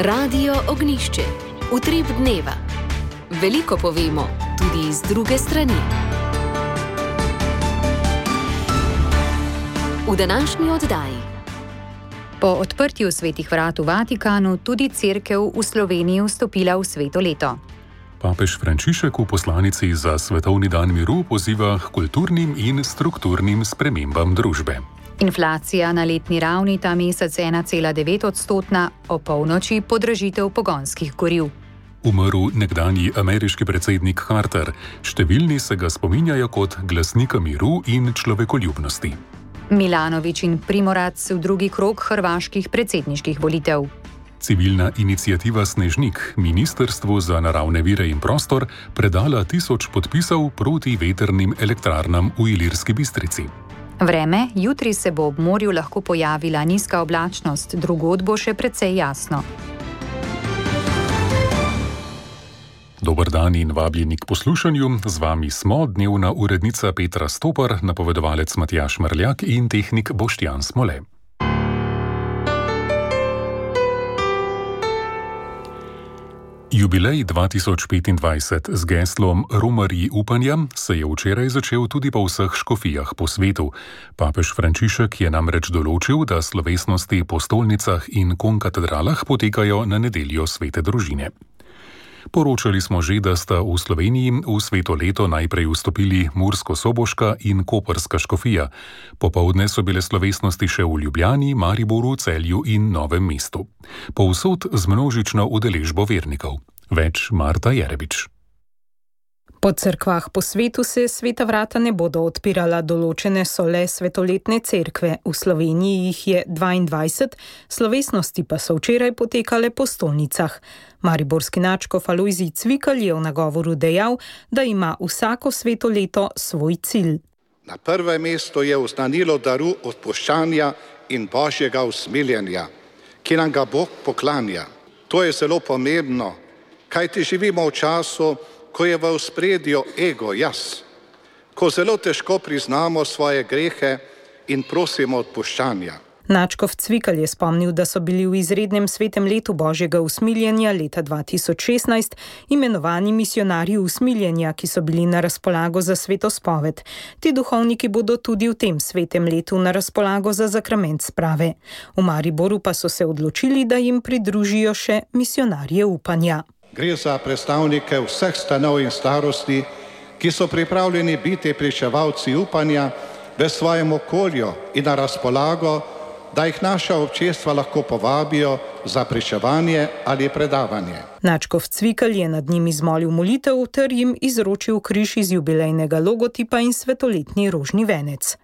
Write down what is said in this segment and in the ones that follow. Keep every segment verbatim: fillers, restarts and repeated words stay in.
Radio Ognjišče. Utrip dneva. Veliko povemo, tudi iz druge strani. V današnji oddaji. Po odprtju svetih vrat v Vatikanu tudi cerkev v Sloveniji vstopila v sveto leto. Papež Frančišek v poslanici za Svetovni dan miru poziva k kulturnim in strukturnim spremembam družbe. Inflacija na letni ravni ta mesec ena cela devet odstotna, o polnoči podražitev pogonskih goriv. Umrl nekdanji ameriški predsednik Carter, številni se ga spominjajo kot glasnika miru in človekoljubnosti. Milanović in Primorac v drugi krog hrvaških predsedniških volitev. Civilna iniciativa Snežnik Ministrstvu za naravne vire in prostor predala tisoč podpisov proti vetrnim elektrarnam v Ilirski Bistrici. Vreme, jutri se bo ob morju lahko pojavila nizka oblačnost, drugod bo še precej jasno. Dober dan in vabljeni k poslušanju. Z vami smo dnevna urednica Petra Stopar, napovedovalec Matjaž Mrljak in tehnik Boštjan Smole. Jubilej dva tisoč petindvajset z geslom Romarji upanja se je včeraj začel tudi po vseh škofijah po svetu. Papež Frančišek je namreč določil, da slovesnosti po stolnicah in konkatedralah potekajo na nedeljo svete družine. Poročali smo že, da sta v Sloveniji v sveto leto najprej vstopili Mursko-Soboška in Koprska škofija. Popoldne so bile slovesnosti še v Ljubljani, Mariboru, Celju in Novem mestu. Povsod z množično udeležbo vernikov. Več Marta Jerebič. Po cerkvah po svetu se sveta vrata ne bodo odpirala, določene so le svetoletne cerkve. V Sloveniji jih je dvaindvajset, slovesnosti pa so včeraj potekale po stolnicah. Mariborski nadškof Alojzij Cvikl je v nagovoru dejal, da ima vsako sveto leto svoj cilj. Na prvem mestu je oznanilo daru odpuščanja in božjega usmiljenja, ki nam ga Bog poklanja. To je zelo pomembno, kajti živimo v času, ko je v ospredju ego jaz, ko zelo težko priznamo svoje grehe in prosimo odpuščanja. Nadškof Cvikl je spomnil, da so bili v izrednem svetem letu božjega usmiljenja leta dva tisoč šestnajst imenovani misionarji usmiljenja, ki so bili na razpolago za svetospoved. Ti duhovniki bodo tudi v tem svetem letu na razpolago za zakrament sprave. V Mariboru pa so se odločili, da jim pridružijo še misionarje upanja. Gre za predstavnike vseh stanov in starosti, ki so pripravljeni biti pričevalci upanja v svojem okolju in na razpolago, da jih naša občestva lahko povabijo za pričevanje ali predavanje. Nadškof Cvikl je nad njim izmolil molitev ter jim izročil križ iz jubilejnega logotipa in svetoletni rožni venec.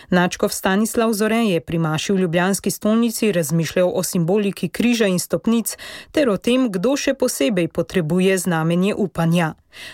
Nadškof Stanislav Zore je pri maši v ljubljanski stolnici razmišljal o simboliki križa in stopnic ter o tem, kdo še posebej potrebuje znamenje upanja.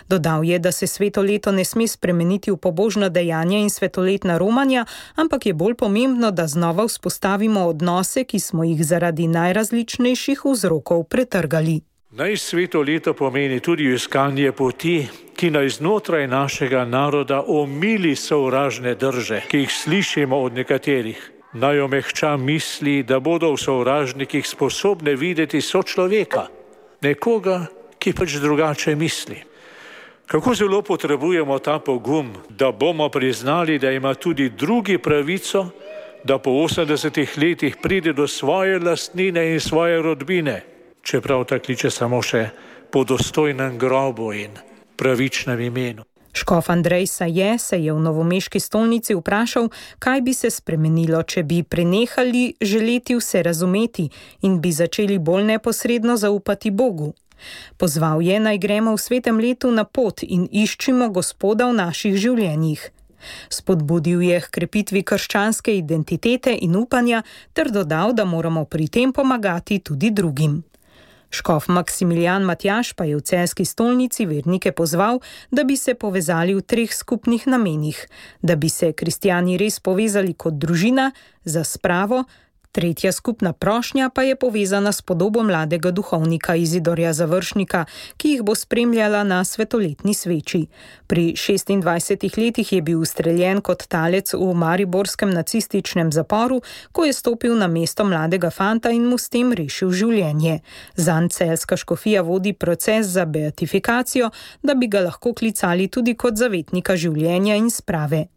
Dodal je, da se sveto leto ne sme spremeniti v pobožna dejanja in svetoletna romanja, ampak je bolj pomembno, da znova vzpostavimo odnose, ki smo jih zaradi najrazličnejših vzrokov pretrgali. Naj sveto leto pomeni tudi iskanje poti, ki naj znotraj našega naroda omili sovražne drže, ki jih slišimo od nekaterih. Naj omehča misli, da bodo v sovražnikih sposobne videti sočloveka, nekoga, ki pač drugače misli. Kako zelo potrebujemo ta pogum, da bomo priznali, da ima tudi drugi pravico, da po osemdesetih letih pride do svoje lastnine in svoje rodbine, čeprav ta kliče samo še po dostojnem grobu in pravičnem imenu. Škof Andrej Saje se je v novomeški stolnici vprašal, kaj bi se spremenilo, če bi prenehali želeti vse razumeti in bi začeli bolj neposredno zaupati Bogu. Pozval je, naj gremo v svetem letu na pot in iščimo Gospoda v naših življenjih. Spodbudil je k krepitvi krščanske identitete in upanja ter dodal, da moramo pri tem pomagati tudi drugim. Škof Maksimilijan Matjaž pa je v celjski stolnici vernike pozval, da bi se povezali v treh skupnih namenih, da bi se kristjani res povezali kot družina, za spravo Tretja skupna prošnja pa je povezana s podobo mladega duhovnika Izidorja Završnika, ki jih bo spremljala na svetoletni sveči. Pri šestindvajsetih letih je bil ustreljen kot talec v mariborskem nacističnem zaporu, ko je stopil na mesto mladega fanta in mu s tem rešil življenje. Zanj celjska škofija vodi proces za beatifikacijo, da bi ga lahko klicali tudi kot zavetnika življenja in sprave.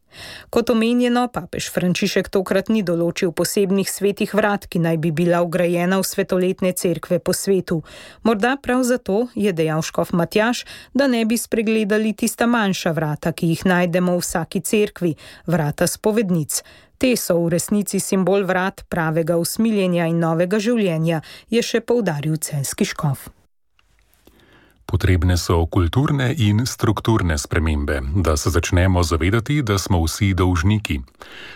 Kot omenjeno, papež Frančišek tokrat ni določil posebnih svetih vrat, ki naj bi bila vgrajena v svetoletne cerkve po svetu. Morda prav zato, je dejal škof Matjaž, da ne bi spregledali tista manjša vrata, ki jih najdemo v vsaki cerkvi, vrata spovednic. Te so v resnici simbol vrat pravega usmiljenja in novega življenja, je še poudaril celjski škof. Potrebne so kulturne in strukturne spremembe, da se začnemo zavedati, da smo vsi dolžniki.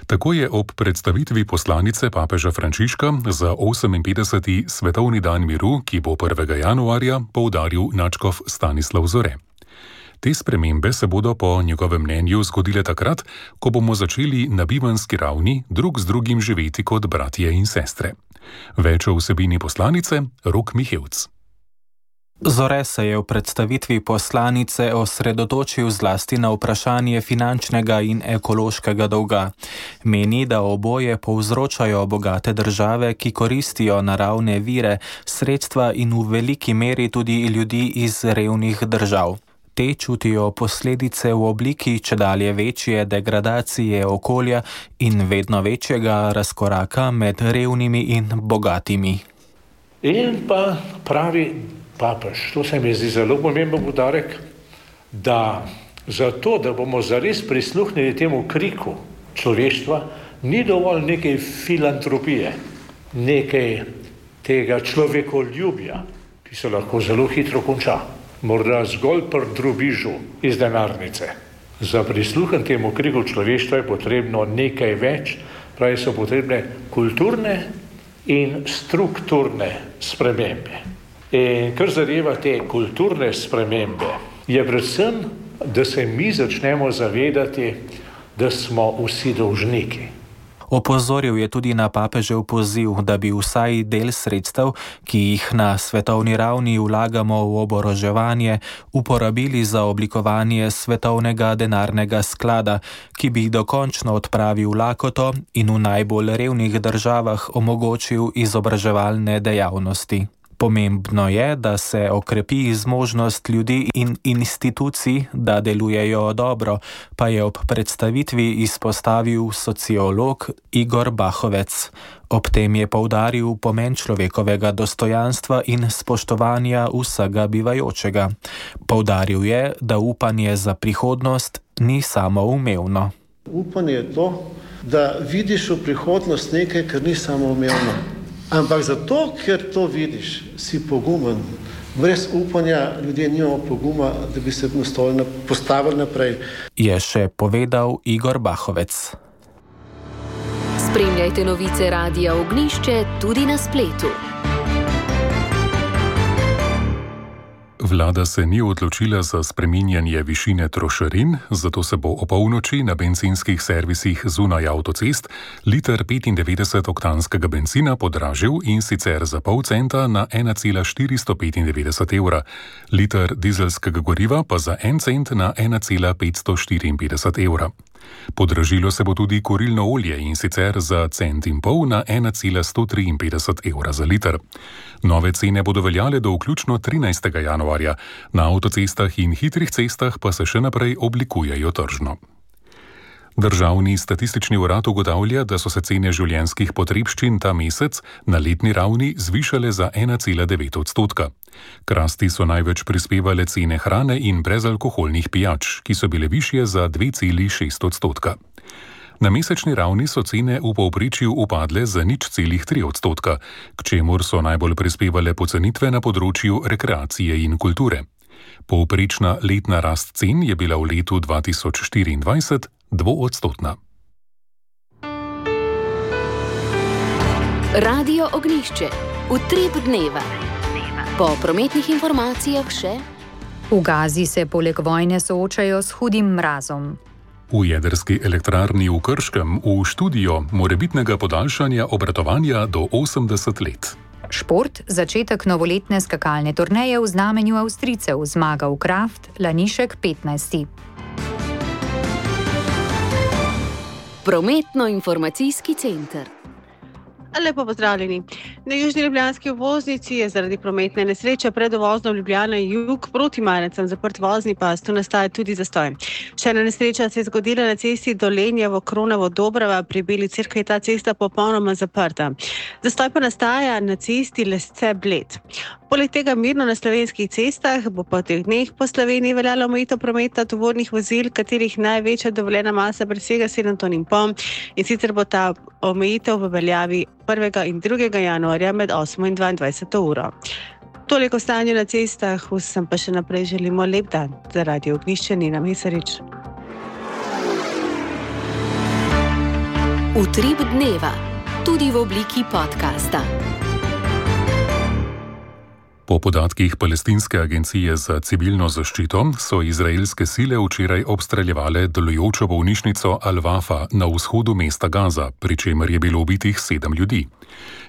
Tako je ob predstavitvi poslanice papeža Frančiška za oseminpetdeseti svetovni dan miru, ki bo prvega januarja, poudaril nadškof Stanislav Zore. Te spremembe se bodo po njegovem mnenju zgodile takrat, ko bomo začeli na bivanski ravni drug z drugim živeti kot bratje in sestre. Več o vsebini poslanice, Rok Mihevc. Zore se je v predstavitvi poslanice osredotočil zlasti na vprašanje finančnega in ekološkega dolga. Meni, da oboje povzročajo bogate države, ki koristijo naravne vire, sredstva in v veliki meri tudi ljudi iz revnih držav. Te čutijo posledice v obliki čedalje večje degradacije okolja in vedno večjega razkoraka med revnimi in bogatimi. In pa pravi papež, to se mi zdi zelo pomemben poudarek, da zato, da bomo zares prisluhnili temu kriku človeštva, ni dovolj nekaj filantropije, nekaj tega človekoljubja, ki se lahko zelo hitro konča, morda zgolj pri drobižu iz denarnice. Za prisluhen temu kriku človeštva je potrebno nekaj več, pravi so potrebne kulturne in strukturne spremembe. In kar zadeva te kulturne spremembe, je predvsem, da se mi začnemo zavedati, da smo vsi dolžniki. Opozoril je tudi na papežev poziv, da bi vsaj del sredstev, ki jih na svetovni ravni vlagamo v oboroževanje, uporabili za oblikovanje svetovnega denarnega sklada, ki bi dokončno odpravil lakoto in v najbolj revnih državah omogočil izobraževalne dejavnosti. Pomembno je, da se okrepi zmožnost ljudi in institucij, da delujejo dobro, pa je ob predstavitvi izpostavil sociolog Igor Bahovec. Ob tem je poudaril pomen človekovega dostojanstva in spoštovanja vsega bivajočega. Poudaril je, da upanje za prihodnost ni samoumevno. Upanje je to, da vidiš v prihodnost nekaj, kar ni samoumevno. Ampak zato, ker to vidiš, si pogumen. Brez upanja ljudje nimamo poguma, da bi se postavili naprej. Je še povedal Igor Bahovec. Spremljajte novice Radia Ognjišče tudi na spletu. Vlada se ni odločila za spreminjanje višine trošarin, zato se bo o polnoči na bencinskih servisih zunaj avtocest liter petindevetdeset oktanskega bencina podražil in sicer za pol centa na ena cela štiristo petindevetdeset evra, liter dizelskega goriva pa za en cent na ena cela petsto štiriinpetdeset evra. Podražilo se bo tudi kurilno olje in sicer za cent in pol na ena cela sto triinpetdeset evra za liter. Nove cene bodo veljale do vključno trinajstega januarja, na avtocestah in hitrih cestah pa se še naprej oblikujejo tržno. Državni statistični urad ugotavlja, da so se cene življenjskih potrebščin ta mesec na letni ravni zvišale za ena cela devet odstotka. K rasti so največ prispevale cene hrane in brezalkoholnih pijač, ki so bile višje za dve celi šest odstotka. Na mesečni ravni so cene v povprečju upadle za nič celih tri odstotka, k čemur so najbolj prispevale pocenitve na področju rekreacije in kulture. Povprečna letna rast cen je bila v letu dva tisoč štiriindvajset dvoodstotna. Radio Ognjišče, utrip dneva. Po prometnih informacijah še. V Gazi se poleg vojne soočajo s hudim mrazom. V jedrski elektrarni v Krškem v študijo morebitnega podaljšanja obratovanja do osemdeset let. Šport, začetek novoletne skakalne turneje v znamenju Avstrijcev, zmaga v Kraft, Lanišek petnajsti. Prometno-informacijski center. Lepo pozdravljeni. Na južni ljubljanski obvoznici je zaradi prometne nesreče pred uvozom Ljubljana jug proti Marecem zaprt vozni pas, tu nastaja tudi zastoj. Še ena nesreča se je zgodila na cesti Dolenjevo Kronovo Dobrava, pri Beli cerkvi je ta cesta popolnoma zaprta. Zastoj pa nastaja na cesti Lesce Bled. Poleg tega mirno na slovenskih cestah bo po teh dneh po Sloveniji veljala omejitev prometa tovornih vozil, katerih največja dovoljena masa presega sedem ton in pol, in sicer bo ta omejitev v veljavi prvega in drugega januarja med osmo in dvaindvajseto uro. Toliko stanje na cestah, vsem pa še naprej želimo lep dan. Za Radio Ognjišče Nina Mesarič. Utrip dneva, tudi v obliki podcasta. Po podatkih Palestinske agencije za civilno zaščito so izraelske sile včeraj obstreljevale delujočo bolnišnico Al-Wafa na vzhodu mesta Gaza, pri čemer je bilo ubitih sedem ljudi.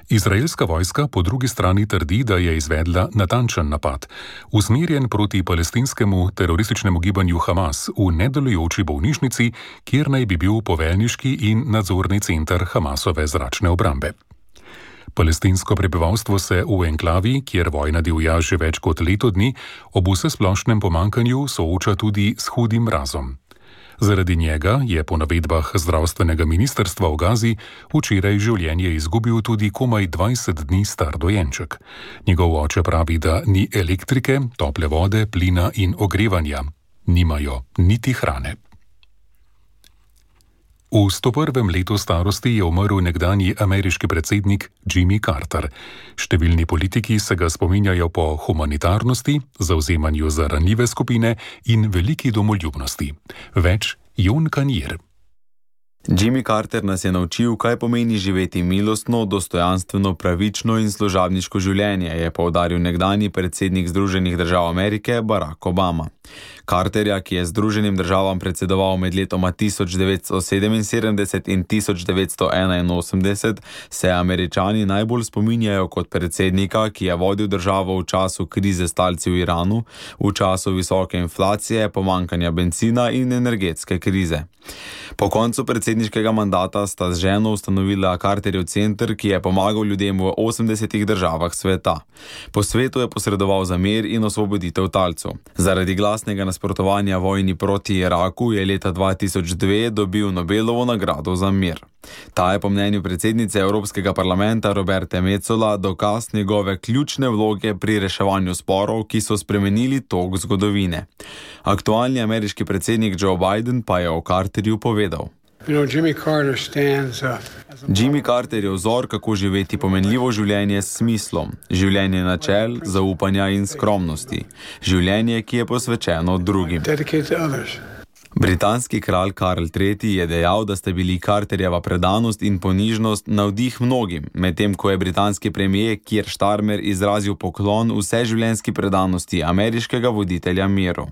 Izraelska vojska po drugi strani trdi, da je izvedla natančen napad, usmerjen proti palestinskemu terorističnemu gibanju Hamas v nedelujoči bolnišnici, kjer naj bi bil poveljniški in nadzorni center Hamasove zračne obrambe. Palestinsko prebivalstvo se v enklavi, kjer vojna divja že več kot leto dni, ob vsesplošnem pomankanju sooča tudi s hudim mrazom. Zaradi njega je po navedbah zdravstvenega ministrstva v Gazi včeraj življenje izgubil tudi komaj dvajset dni star dojenček. Njegov oče pravi, da ni elektrike, tople vode, plina in ogrevanja. Nimajo niti hrane. V sto prvem letu starosti je umrl nekdanji ameriški predsednik Jimmy Carter. Številni politiki se ga spominjajo po humanitarnosti, zavzemanju za ranljive skupine in veliki domoljubnosti. Več Jon Kanjer. Jimmy Carter nas je naučil, kaj pomeni živeti milostno, dostojanstveno, pravično in služabniško življenje, je poudaril nekdanji predsednik Združenih držav Amerike Barack Obama. Carterja, ki je Združenim državam predsedoval med letoma tisoč devetsto sedeminsedemdeset in tisoč devetsto enainosemdeset, se Američani najbolj spominjajo kot predsednika, ki je vodil državo v času krize s talci v Iranu, v času visoke inflacije, pomankanja bencina in energetske krize. Po koncu predsedniškega mandata sta z ženo ustanovila Carterjev center, ki je pomagal ljudem v osemdesetih državah sveta. Po svetu je posredoval za mir in osvoboditev talcev. Zaradi glasnega nasprotovanja vojni proti Iraku je leta dva tisoč dve dobil Nobelovo nagrado za mir. Ta je po mnenju predsednice Evropskega parlamenta Roberte Metsola dokaz njegove ključne vloge pri reševanju sporov, ki so spremenili tok zgodovine. Aktualni ameriški predsednik Joe Biden pa je o Carterju povedal. Jimmy Carter je vzor, kako živeti pomenljivo življenje s smislom, življenje načel, zaupanja in skromnosti, življenje, ki je posvečeno drugim. Britanski kralj Karl tretji je dejal, da sta bili Carterjeva predanost in ponižnost navdih mnogim, medtem ko je britanski premier Keir Starmer izrazil poklon vseživljenjski predanosti ameriškega voditelja miru.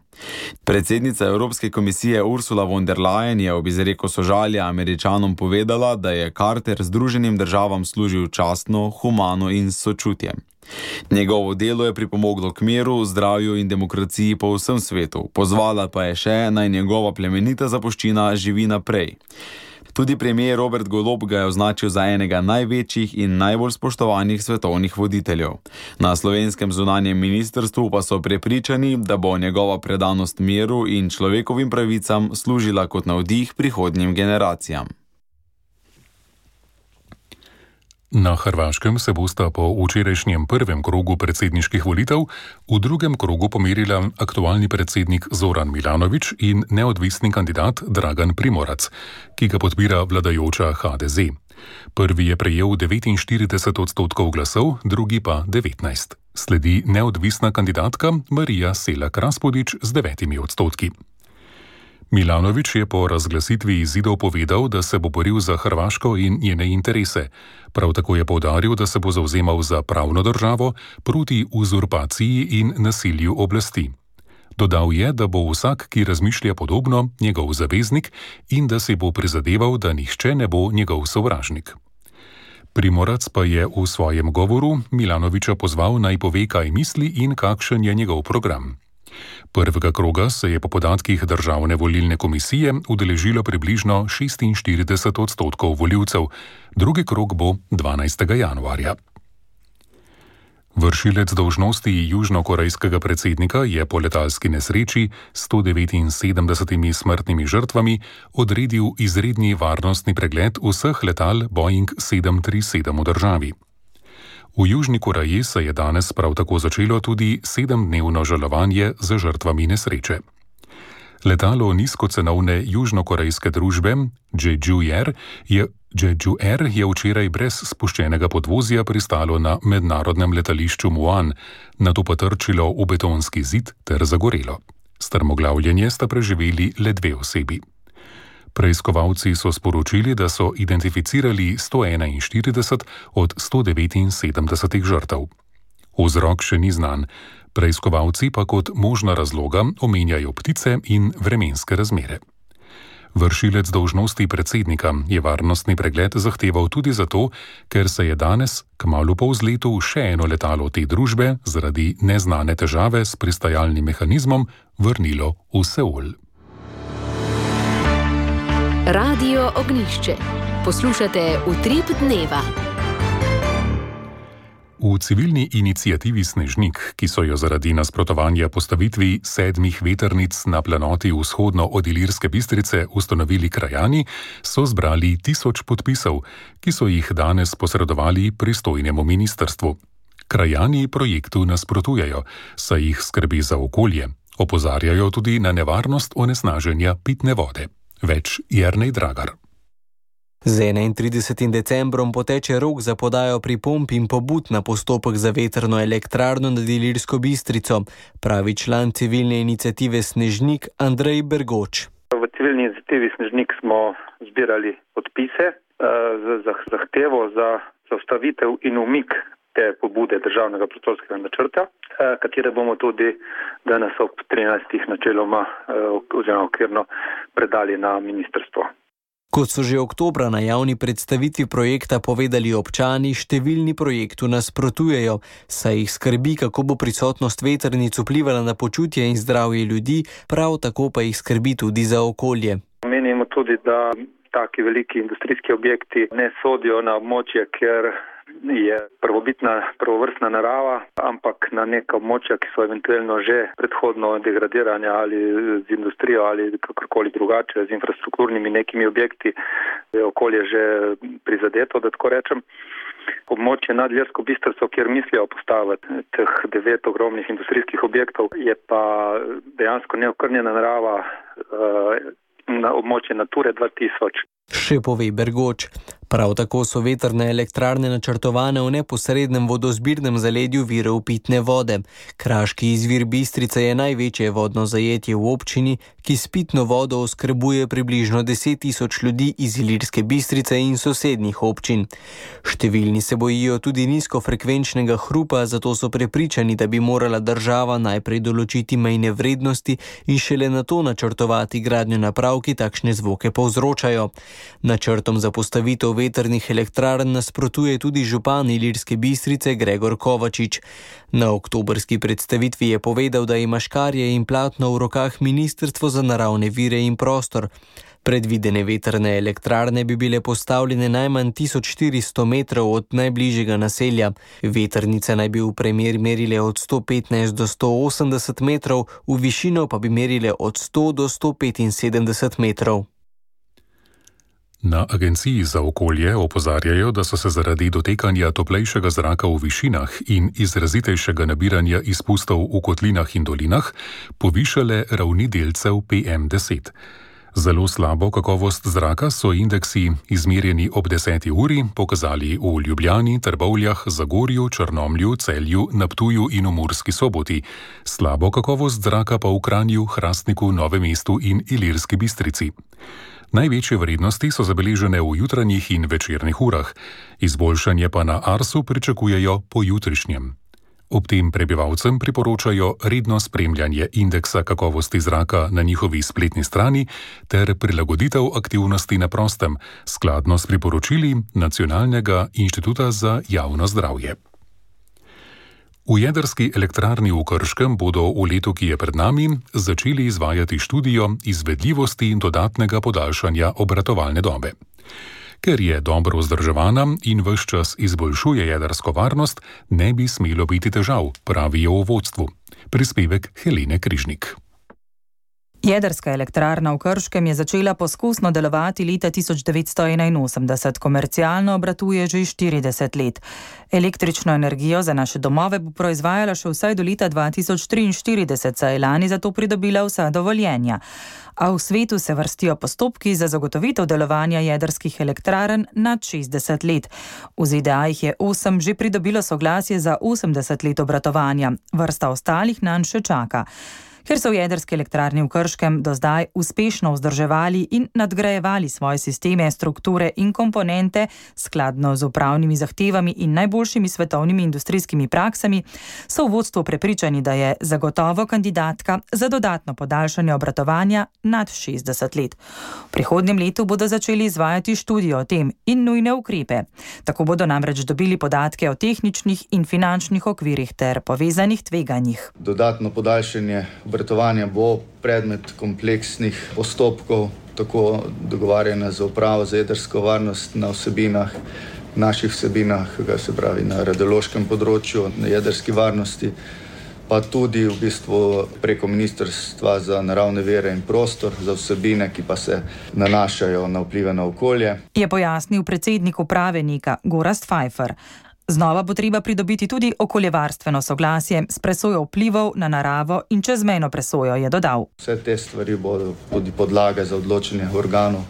Predsednica Evropske komisije Ursula von der Leyen je ob izreku sožalja Američanom povedala, da je Carter Združenim državam služil častno, humano in s sočutjem. Njegovo delo je pripomoglo k miru, zdravju in demokraciji po vsem svetu, pozvala pa je še, naj njegova plemenita zapuščina živi naprej. Tudi premier Robert Golob ga je označil za enega največjih in najbolj spoštovanih svetovnih voditeljev. Na slovenskem zunanjem ministrstvu pa so prepričani, da bo njegova predanost miru in človekovim pravicam služila kot navdih prihodnjim generacijam. Na Hrvaškem se bosta po včerajšnjem prvem krogu predsedniških volitev v drugem krogu pomerila aktualni predsednik Zoran Milanović in neodvisni kandidat Dragan Primorac, ki ga podpira vladajoča H D Z. Prvi je prejel devetinštirideset odstotkov glasov, drugi pa devetnajst. Sledi neodvisna kandidatka Marija Selak Raspudić z devetimi odstotki. Milanović je po razglasitvi izidov povedal, da se bo boril za Hrvaško in njene interese. Prav tako je poudaril, da se bo zavzemal za pravno državo proti uzurpaciji in nasilju oblasti. Dodal je, da bo vsak, ki razmišlja podobno, njegov zaveznik in da se bo prizadeval, da nihče ne bo njegov sovražnik. Primorac pa je v svojem govoru Milanovića pozval, naj pove, kaj misli in kakšen je njegov program. Prvega kroga se je po podatkih Državne volilne komisije udeležilo približno šestinštirideset odstotkov volivcev, drugi krog bo dvanajstega januarja. Vršilec dolžnosti južnokorejskega predsednika je po letalski nesreči s sto devetinsedemdesetimi smrtnimi žrtvami odredil izredni varnostni pregled vseh letal Boeing sedem tri sedem v državi. V Južni Koreji se je danes prav tako začelo tudi sedemdnevno žalovanje za žrtvami nesreče. Letalo nizkocenovne južnokorejske družbe Jeju Air je, Jeju Air je včeraj brez spuščenega podvozja pristalo na mednarodnem letališču Muan, nato pa trčilo v betonski zid ter zagorelo. Strmoglavljenje sta preživeli le dve osebi. Preiskovalci so sporočili, da so identificirali sto enainštirideset od sto devetinsedemdesetih žrtev. Vzrok še ni znan, preiskovalci pa kot možna razloga omenjajo ptice in vremenske razmere. Vršilec dolžnosti predsednika je varnostni pregled zahteval tudi zato, ker se je danes, kmalu po vzletu, še eno letalo te družbe zaradi neznane težave s pristajalnim mehanizmom vrnilo v Seul. Radio Ognjišče. Poslušate Utrip dneva. V civilni iniciativi Snežnik, ki so jo zaradi nasprotovanja postavitvi sedmih vetrnic na planoti vzhodno od Ilirske Bistrice ustanovili krajani, so zbrali tisoč podpisov, ki so jih danes posredovali pristojnemu ministrstvu. Krajani projektu nasprotujejo, saj jih skrbi za okolje. Opozarjajo tudi na nevarnost onesnaženja pitne vode. Več Jernej Dragar. Z enaintridesetim decembrom poteče rok za podajo pripomb in pobud na postopek za vetrno elektrarno nad Ilirsko Bistrico, pravi član civilne iniciative Snežnik Andrej Bergoč. V civilni iniciativi Snežnik smo zbirali podpise za zahtevo za zaustavitev in umik te pobude državnega prostorskega načrta, katere bomo tudi danes ob trinajstih načeloma oziroma okvirno predali na ministrstvo. Kot so že oktobra na javni predstavitvi projekta povedali občani, številni projektu nasprotujejo, saj jih skrbi, kako bo prisotnost vetrnic vplivala na počutje in zdravje ljudi, prav tako pa jih skrbi tudi za okolje. Menimo tudi, da taki veliki industrijski objekti ne sodijo na območje, ker je prvobitna, prvovrstna narava, ampak na neka območja, ki so eventualno že predhodno degradiranja ali z industrijo ali kakorkoli drugače, z infrastrukturnimi nekimi objekti, je okolje že prizadeto, da tako rečem. Območje nad Ilirsko Bistrico, kjer mislijo postaviti teh devet ogromnih industrijskih objektov, je pa dejansko neokrnjena narava na območje Nature dva tisoč. Še pove Bergoč. Prav tako so vetrne elektrarne načrtovane v neposrednem vodozbirnem zaledju virov pitne vode. Kraški izvir Bistrica je največje vodno zajetje v občini, ki s pitno vodo oskrbuje približno deset tisoč ljudi iz Ilirske Bistrice in sosednjih občin. Številni se bojijo tudi nizkofrekvenčnega hrupa, zato so prepričani, da bi morala država najprej določiti mejne vrednosti in šele nato načrtovati gradnjo naprav, ki takšne zvoke povzročajo. Načrtom za postavitev vetrnih elektrarn nasprotuje tudi župan Ilirske Bistrice Gregor Kovačič. Na oktobrski predstavitvi je povedal, da ima škarje in platno v rokah Ministrstvo za naravne vire in prostor. Predvidene vetrne elektrarne bi bile postavljene najmanj tisoč štiristo metrov od najbližjega naselja. Vetrnice naj bi v premer merile od sto petnajst do sto osemdeset metrov, v višino pa bi merile od sto do sto petinsedemdeset metrov. Na Agenciji za okolje opozarjajo, da so se zaradi dotekanja toplejšega zraka v višinah in izrazitejšega nabiranja izpustov v kotlinah in dolinah povišale ravni delcev P M deset. Zelo slabo kakovost zraka so indeksi, izmerjeni ob deseti uri, pokazali v Ljubljani, Trbovljah, Zagorju, Črnomlju, Celju, na Ptuju in v Murski Soboti. Slabo kakovost zraka pa v Kranju, Hrastniku, Novem mestu in Ilirski Bistrici. Največje vrednosti so zabeležene v jutranjih in večernih urah, izboljšanje pa na Arsu pričakujejo po jutrišnjem. Ob tem prebivalcem priporočajo redno spremljanje indeksa kakovosti zraka na njihovi spletni strani ter prilagoditev aktivnosti na prostem, skladno s priporočili Nacionalnega inštituta za javno zdravje. V jedrski elektrarni v Krškem bodo v letu, ki je pred nami, začeli izvajati študijo izvedljivosti in dodatnega podaljšanja obratovalne dobe. Ker je dobro vzdrževana in ves čas izboljšuje jedrsko varnost, ne bi smelo biti težav, pravijo v vodstvu. Prispevek Helene Križnik. Jedrska elektrarna v Krškem je začela poskusno delovati leta tisoč devetsto enainosemdeset, komercialno obratuje že štirideset let. Električno energijo za naše domove bo proizvajala še vsaj do leta dva tisoč triinštirideset, saj je lani za to pridobila vsa dovoljenja. A v svetu se vrstijo postopki za zagotovitev delovanja jedrskih elektrarn nad šestdeset let. V Z D A jih je osem že pridobilo soglasje za osemdeset let obratovanja, vrsta ostalih nanj še čaka. Ker so v jedrski elektrarni v Krškem do zdaj uspešno vzdrževali in nadgrajevali svoje sisteme, strukture in komponente skladno z upravnimi zahtevami in najboljšimi svetovnimi industrijskimi praksami, so v vodstvu prepričani, da je zagotovo kandidatka za dodatno podaljšanje obratovanja nad šestdeset let. V prihodnjem letu bodo začeli izvajati študijo o tem in nujne ukrepe. Tako bodo namreč dobili podatke o tehničnih in finančnih okvirih ter povezanih tveganjih. Dodatno podaljšanje obratovanja bo predmet kompleksnih postopkov, tako dogovarjanja z upravo za jedrsko varnost na vsebinah, naših vsebinah, se pravi na radiološkem področju, na jedrski varnosti, pa tudi v bistvu preko Ministrstva za naravne vire in prostor za vsebine, ki pa se nanašajo na vplive na okolje. Je pojasnil predsednik uprave Nika Gorazd Pfeiffer. Znova bo treba pridobiti tudi okoljevarstveno soglasje s presojo vplivov na naravo in čezmejno presojo, je dodal. Vse te stvari bodo tudi podlage za odločanje organov,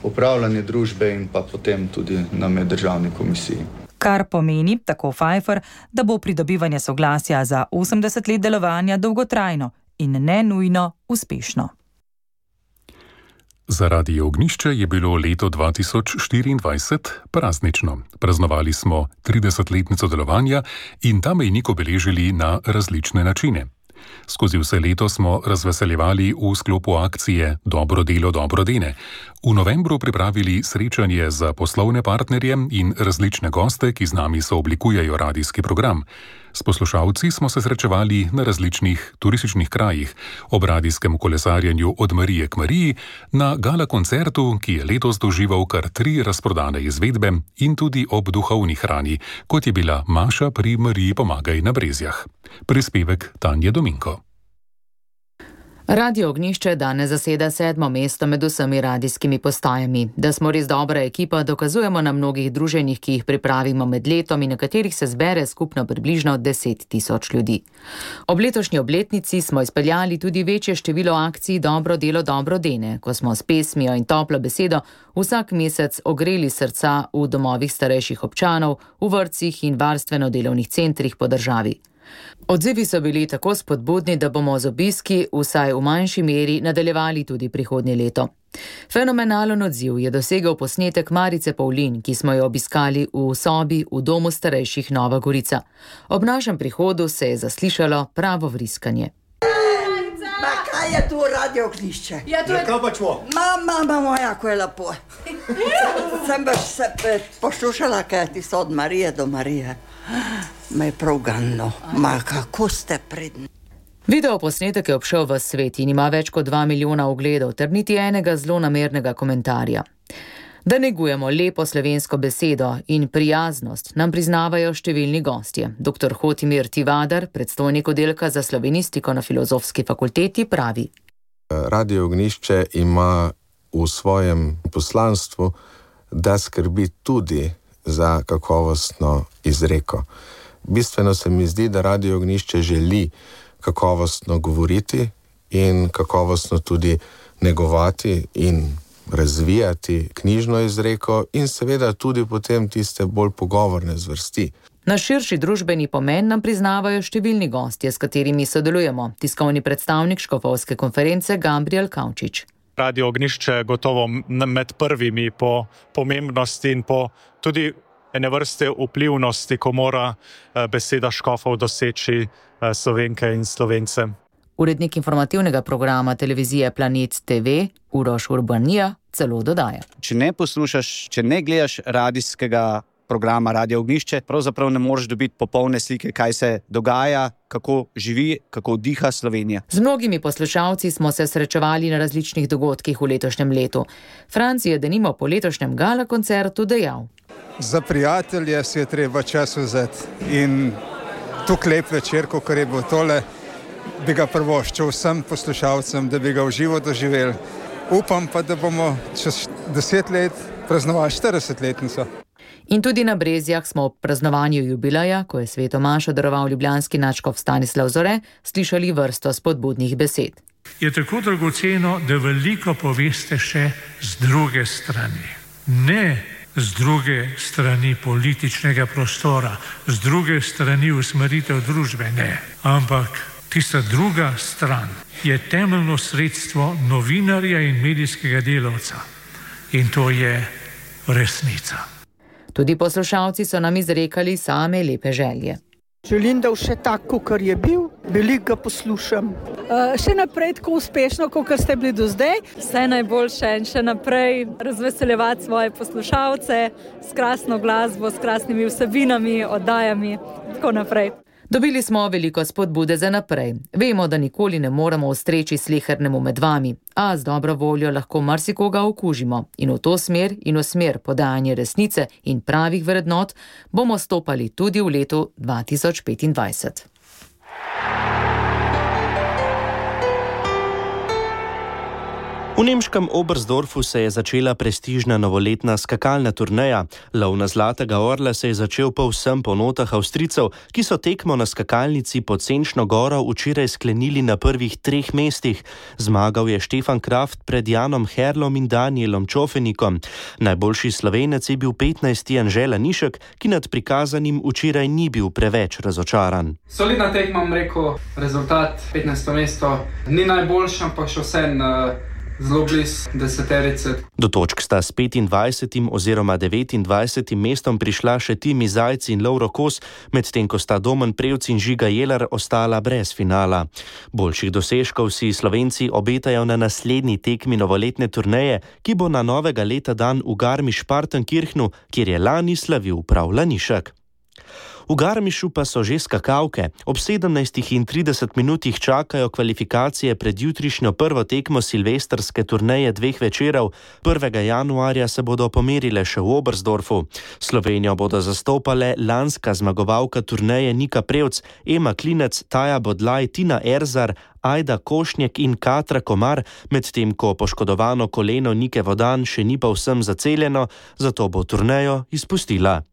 upravljanje družbe in pa potem tudi na meddržavni komisiji. Kar pomeni, tako Pfeiffer, da bo pridobivanje soglasja za osemdeset let delovanja dolgotrajno in ne nujno uspešno. Zaradi Ognjišče je bilo leto dva tisoč štiriindvajset praznično. Praznovali smo tridesetletnico delovanja in ta mejnik obeležili na različne načine. Skozi vse leto smo razveseljevali v sklopu akcije Dobro delo, dobro dene. V novembru pripravili srečanje za poslovne partnerje in različne goste, ki z nami sooblikujejo radijski program. S poslušalci smo se srečevali na različnih turističnih krajih, ob radijskem kolesarjenju od Marije k Mariji, na gala koncertu, ki je letos doživel kar tri razprodane izvedbe, in tudi ob duhovni hrani, kot je bila Maša pri Mariji pomagaj na Brezjah. Prispevek Tanje Dominko. Radio Ognjišče danes zaseda sedmo mesto med vsemi radijskimi postajami. Da smo res dobra ekipa, dokazujemo na mnogih druženjih, ki jih pripravimo med letom in na katerih se zbere skupno približno deset tisoč ljudi. Ob letošnji obletnici smo izpeljali tudi večje število akcij Dobro delo, dobro dene, ko smo s pesmijo in toplo besedo vsak mesec ogreli srca v domovih starejših občanov, v vrtcih in varstveno-delovnih centrih po državi. Odzivi so bili tako spodbudni, da bomo z obiski vsaj v manjši meri nadaljevali tudi prihodnje leto. Fenomenalen odziv je dosegel posnetek Marice Pavlin, ki smo jo obiskali v sobi v domu starejših Nova Gorica. Ob našem prihodu se je zaslišalo pravo vriskanje. Ma kaj je tu Radio Ognjišče? Ja, to je... Kaj pa čvo? Mama, mama moja, ko je lepo. Sem baš se poslušala, kaj ti so od Marije do Marije. Me je prav ganilo. Ma kako ste pridni. Video posnetek je obšel v svet in ima več kot dva milijona ogledov ter niti enega zlonamernega komentarja. Da negujemo lepo slovensko besedo in prijaznost, nam priznavajo številni gostje. Doktor Hotimir Tivadar, predstojnik oddelka za slovenistiko na Filozofski fakulteti, pravi. Radio Ognjišče ima v svojem poslanstvu, da skrbi tudi za kakovostno izreko. Bistveno se mi zdi, da Radio Ognjišče želi kakovostno govoriti in kakovostno tudi negovati in razvijati knjižno izreko in seveda tudi potem tiste bolj pogovorne zvrsti. Na širši družbeni pomen nam priznavajo številni gostje, s katerimi sodelujemo. Tiskovni predstavnik Škofovske konference Gabriel Kavčič. Radio Ognjišče gotovo med prvimi po pomembnosti in po tudi ene vrste vplivnosti, ko mora beseda škofov doseči Slovenke in Slovence. Urednik informativnega programa televizije Planet te ve, Uroš Urbanija, celo dodaja. Če ne poslušaš, če ne gledaš radijskega programa Radio Ognjišče, pravzaprav ne moreš dobiti popolne slike, kaj se dogaja, kako živi, kako diha Slovenija. Z mnogimi poslušalci smo se srečevali na različnih dogodkih v letošnjem letu. Franci je denimo po letošnjem gala koncertu dejal. Za prijatelje si je treba čas vzeti in tukaj lep večer, kakor je bil tole, bi ga prvoščil vsem poslušalcem, da bi ga v živo doživeli. Upam pa, da bomo čez deset let praznovali štiridesetletnico. In tudi na Brezjah smo ob praznovanju jubileja, ko je Sveto mašo daroval ljubljanski nadškof Stanislav Zore, slišali vrsto spodbudnih besed. Je tako dragoceno, da veliko poveste še z druge strani. Ne z druge strani političnega prostora, z druge strani usmeritev družbe, ne. Ampak tista druga stran je temeljno sredstvo novinarja in medijskega delavca. In to je resnica. Tudi poslušalci so nam izrekali same lepe želje. Želim, da vse tako, kar je bil, veliko ga poslušam. Uh, še naprej tako uspešno, kot ste bili do zdaj. Vse najboljše in še naprej razveseljevati svoje poslušalce s krasno glasbo, s krasnimi vsebinami, oddajami, tako naprej. Dobili smo veliko spodbude za naprej. Vemo, da nikoli ne moremo ustreči slehernemu med vami, a z dobro voljo lahko marsikoga okužimo. In v to smer in v smer podajanja resnice in pravih vrednot bomo stopali tudi v letu dva tisoč petindvajset. V nemškem Oberstdorfu se je začela prestižna novoletna skakalna turneja. Lov na zlatega orla se je začel povsem po notah Avstrijcev, ki so tekmo na skakalnici pod Senčno goro včeraj sklenili na prvih treh mestih. Zmagal je Štefan Kraft pred Janom Herlom in Danielom Čofenikom. Najboljši Slovenec je bil petnajsti Anže Lanišek, ki nad prikazanim včeraj ni bil preveč razočaran. Solidna tekma, bom rekel, rezultat petnajsto mesto. Ni najboljši, ampak še vseeno zelo blizu deseterice. Do točk sta s petindvajsetim oziroma devetindvajsetim mestom prišla še Timi Zajc in Lovro Kos, medtem ko sta Domen Prevc in Žiga Jelar ostala brez finala. Boljših dosežkov si Slovenci obetajo na naslednji tekmi novoletne turneje, ki bo na novega leta dan v Garmisch-Partenkirchnu, kjer je lani slavil prav Lanišek. V Garmišu pa so že skakalke. Ob sedemnajstih in trideset minutih čakajo kvalifikacije pred jutrišnjo prvo tekmo silvestrske turneje dveh večerov. prvega januarja se bodo pomerile še v Oberstdorfu. Slovenijo bodo zastopale lanska zmagovalka turneje Nika Prevc, Ema Klinec, Taja Bodlaj, Tina Erzar, Ajda Košnjek in Katra Komar, medtem ko poškodovano koleno Nike Vodan še ni povsem zaceljeno, zato bo turnejo izpustila.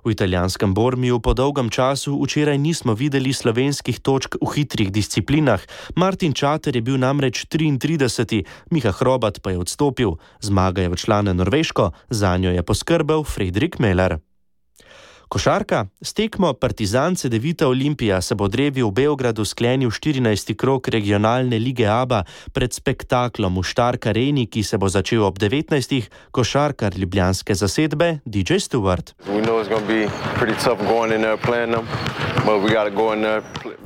V italijanskem Bormiju po dolgem času včeraj nismo videli slovenskih točk v hitrih disciplinah. Martin Čater je bil namreč triintrideseti, Miha Hrobat pa je odstopil. Zmaga je odšla na Norveško, zanjo je poskrbel Fredrik Meller. Košarka. S tekmo Partizan Cedevita Olimpija se bo drevi v Beogradu sklenil štirinajsti krog regionalne lige A B A pred spektaklom v Stark Areni, ki se bo začel ob devetnajstih, košarkar ljubljanske zasedbe D J Stewart.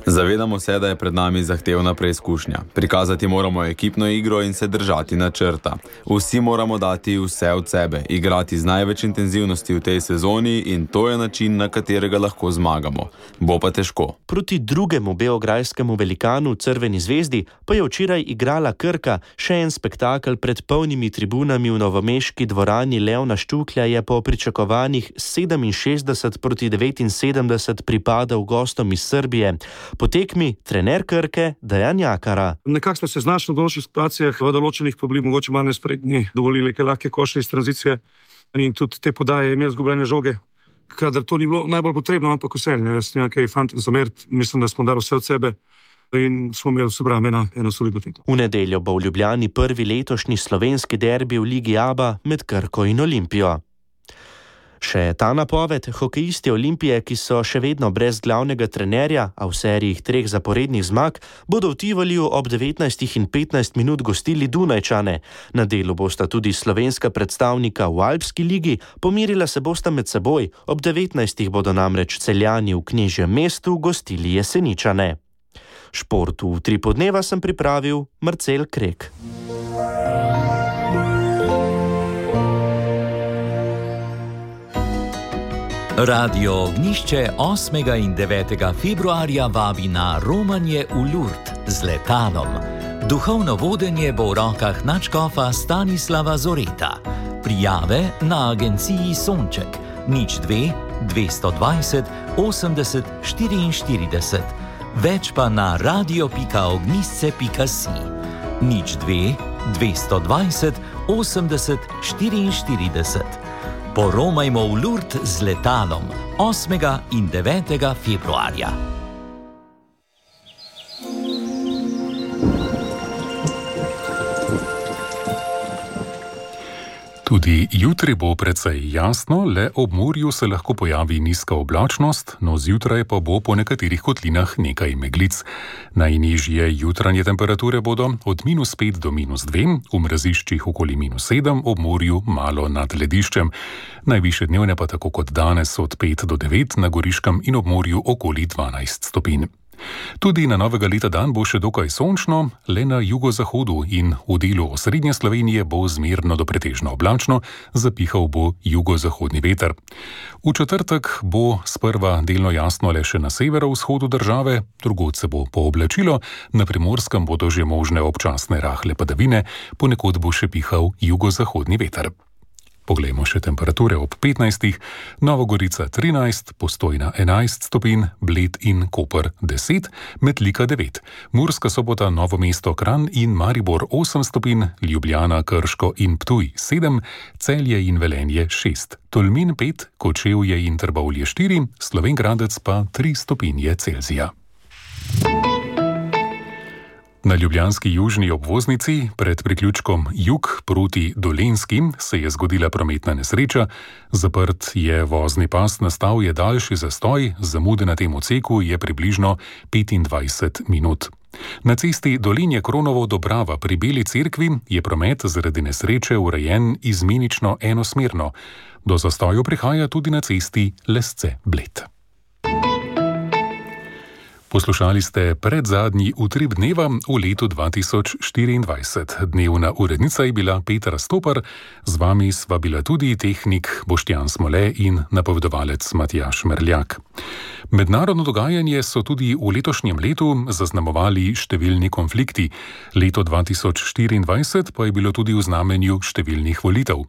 Zavedamo se, da je pred nami zahtevna preizkušnja. Prikazati moramo ekipno igro in se držati načrta. Vsi moramo dati vse od sebe, igrati z največ intenzivnosti v tej sezoni in to je način, na katerega lahko zmagamo. Bo pa težko. Proti drugemu beograjskemu velikanu Crveni zvezdi pa je včeraj igrala Krka. Še en spektakel pred polnimi tribunami v novomeški dvorani Leona Štuklja je po pričakovanjih sedeminšestdeset proti devetinsedemdeset pripadal gostom iz Srbije. Po tekmi trener Krke Dejan Jakara. Nekako smo se znašli v določenih situacijah, v določenih pa bili mogoče malo nespretni, dovolili kaj lahke koše iz tranzicije in tudi te podaje imeli zgubljene žoge. Kadar to ni bilo najbolj potrebno, ampak vseeno, jaz nekaj fantom zameriti, mislim, da smo dali vse od sebe in smo imeli vse brame na eno solidno tekmo. V nedeljo bo v Ljubljani prvi letošnji slovenski derbi v ligi A B A med Krko in Olimpijo. Še ta napoved, hokejisti Olimpije, ki so še vedno brez glavnega trenerja, a v seriji treh zaporednih zmag, bodo v Tivoliju ob devetnajstih in petnajst minut gostili Dunajčane. Na delu bosta tudi slovenska predstavnika v Alpski ligi, pomirila se bosta med seboj, ob devetnajstih bodo namreč Celjani v Knežjem mestu gostili Jeseničane. Športu v Tripodneva sem pripravil Marcel Krek. Radio Ognišče osmega in devetega februarja vabi na romanje v Lurd z letalom. Duhovno vodenje bo v rokah nadškofa Stanislava Zoreta. Prijave na agenciji Sonček nič dve dvesto dvajset osemdeset štiriinštirideset. Več pa na radio pika ognisce pika si. nič dve dvesto dvajset osemdeset štiriinštirideset. Poromajmo v Lurd z letalom osmega in devetega februarja. Tudi jutri bo precej jasno, le ob morju se lahko pojavi nizka oblačnost, no zjutraj pa bo po nekaterih kotlinah nekaj meglic. Najnižje jutranje temperature bodo od minus pet do minus dve, v mraziščih okoli minus sedem, ob morju malo nad lediščem. Najvišje dnevne pa tako kot danes od pet do devet, na Goriškem in ob morju okoli dvanajst stopinj. Tudi na novega leta dan bo še dokaj sončno, le na jugozahodu in v delu osrednje Slovenije bo zmerno do pretežno oblačno, zapihal bo jugozahodni veter. V četrtek bo sprva delno jasno le še na severovzhodu države, drugod se bo pooblačilo, na Primorskem bodo že možne občasne rahle padavine, ponekod bo še pihal jugozahodni veter. Poglejmo še temperature ob petnajstih, Nova Gorica trinajst, Postojna enajst stopinj, Bled in Koper deset, Metlika devet, Murska Sobota, Novo mesto, Kranj in Maribor osem stopinj, Ljubljana, Krško in Ptuj sedem, Celje in Velenje šest, Tolmin pet, Kočevje in Trbovlje štiri, Slovenj Gradec pa tri stopinje Celzija. Na ljubljanski južni obvoznici pred priključkom Jug proti Dolenjskim se je zgodila prometna nesreča. Zaprt je vozni pas, nastal je daljši zastoj, zamude na tem odseku je približno petindvajset minut. Na cesti Dolenje Kronovo Dobrava pri Beli cerkvi je promet zaradi nesreče urejen izmenično enosmerno. Do zastoju prihaja tudi na cesti Lesce Bled. Poslušali ste predzadnji utrip dneva v letu dva tisoč štiriindvajset. Dnevna urednica je bila Petra Stopar, z vami sva bila tudi tehnik Boštjan Smole in napovedovalec Matjaž Merljak. Mednarodno dogajanje so tudi v letošnjem letu zaznamovali številni konflikti. Leto dva tisoč štiriindvajset pa je bilo tudi v znamenju številnih volitev.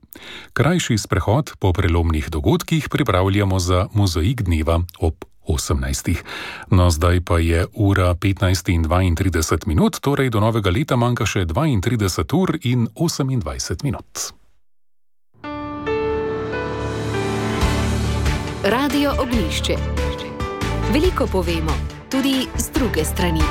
Krajši sprehod po prelomnih dogodkih pripravljamo za mozaik dneva ob osemnajstih. No, zdaj pa je ura petnajst in dvaintrideset minut, torej do novega leta manjka še dvaintrideset ur in osemindvajset minut. Radio Ognišče. Veliko povemo, tudi z druge strani.